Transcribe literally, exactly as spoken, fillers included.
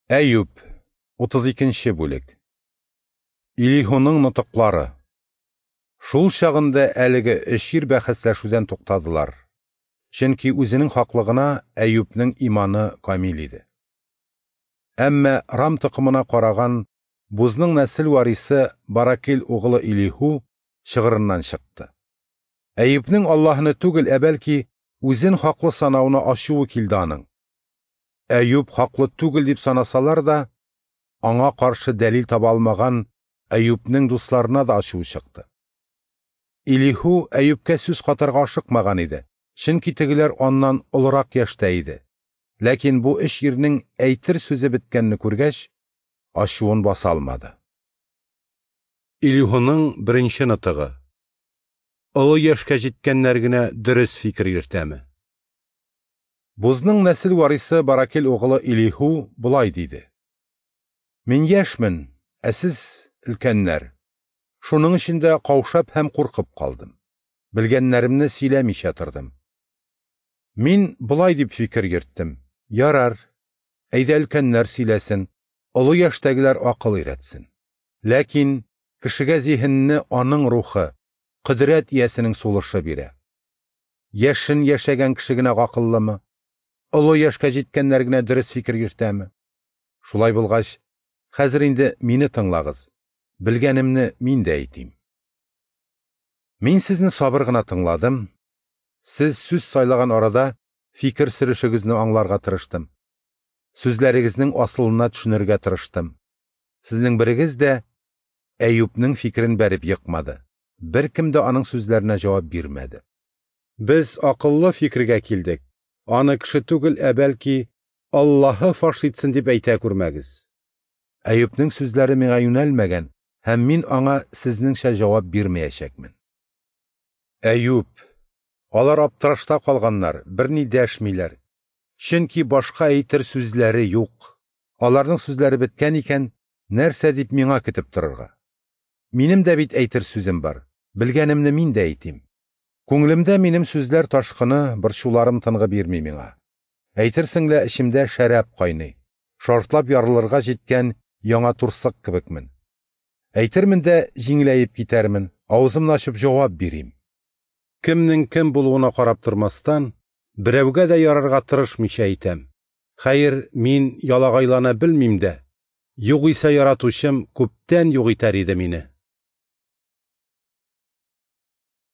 Әюп, утыз икенче бүлек. Илиһуның нотыклары. Шул чагында әлеге өч ир бәхәсләшүдән туктадылар. Чөнки үзенең хаклыгына Әюпнең иманы камил иде. Әмма Рам токымына караган Бузның нәсел варисы Баракил угылы Илиһу чыгырыннан чыкты. Әюпнең Аллаһыны түгел, ә бәлки үзен хаклы санавына ачуы килде аның. Әюп хаклы түгел дип санасалар да, аңа каршы дәлил таба алмаган Әюпнең дусларына да ачуы чыкты. Илиһу Әюпкә сүз катарга ашыкмаган иде, чөнки тегеләр аннан олырак яшьтә иде. Ләкин бу өч ирнең әйтер сүзе беткәнне күргәч, ачуын баса алмады. Илиһуның беренче нотыгы. Олы яшькә җиткәннәр генә дөрес фикер йөртәме? Бузның нәсел варисы Баракил угылы Илиһу болай диде: Мин яшьмен, ә сез өлкәннәр. Шуның өчен дә каушап һәм куркып калдым. Белгәннәремне сөйләмичә тордым. Мин болай дип фикер йөрттем: ярар, әйдә өлкәннәр сөйләсен, олы яшьтәгеләр акыл өйрәтсен. Ләкин кешегә зиһенне аның рухы, кодрәт иясенең сулышы бирә. Яшен яшәгән кеше генә акыллымы? Олы яшькә җиткәннәр генә дөрес фикер йөртәме? Шулай булгач, хәзер инде мине тыңлагыз. Белгәнемне мин дә әйтим. Мин сезне сабыр гына тыңладым. Сез сүз сайлаган арада фикер сөрешегезне аңларга тырыштым. Сүзләрегезнең асылына төшенергә тырыштым. Сезнең берегез дә Әюпнең фикерен бәреп йыкмады. Беркем дә аның сүзләренә җавап бирмәде. Без акыллы фикергә килдек. Аны кеше түгел, ә бәлки Аллаһы фаш итсен дип әйтә күрмәгез. Әюпнең сүзләре миңа юнәлмәгән, һәм мин аңа сезнеңчә җавап бирмәячәкмен. Әюп, алар аптырашта калганнар, берни дәшмиләр. Чөнки башка әйтер сүзләре юк. Аларның сүзләре беткән икән, нәрсә дип миңа көтеп торырга? Минем дә бит әйтер сүзем бар. Белгәнемне мин дә әйтим. Күңелемдә минем сүзләр ташкыны, борчуларым тынгы бирми миңа. Әйтерсең лә эчемдә шәраб кайный, шартлап ярылырга җиткән яңа турсык кебекмен. Әйтермен дә җиңеләеп китәрмен, авызымны ачып җавап бирим. Кемнең кем булуына карап тормастан, берәүгә дә ярарга тырышмыйча әйтәм. Хәер, мин ялагайлана белмим дә. Югыйсә яратучым күптән юк итәр иде мине.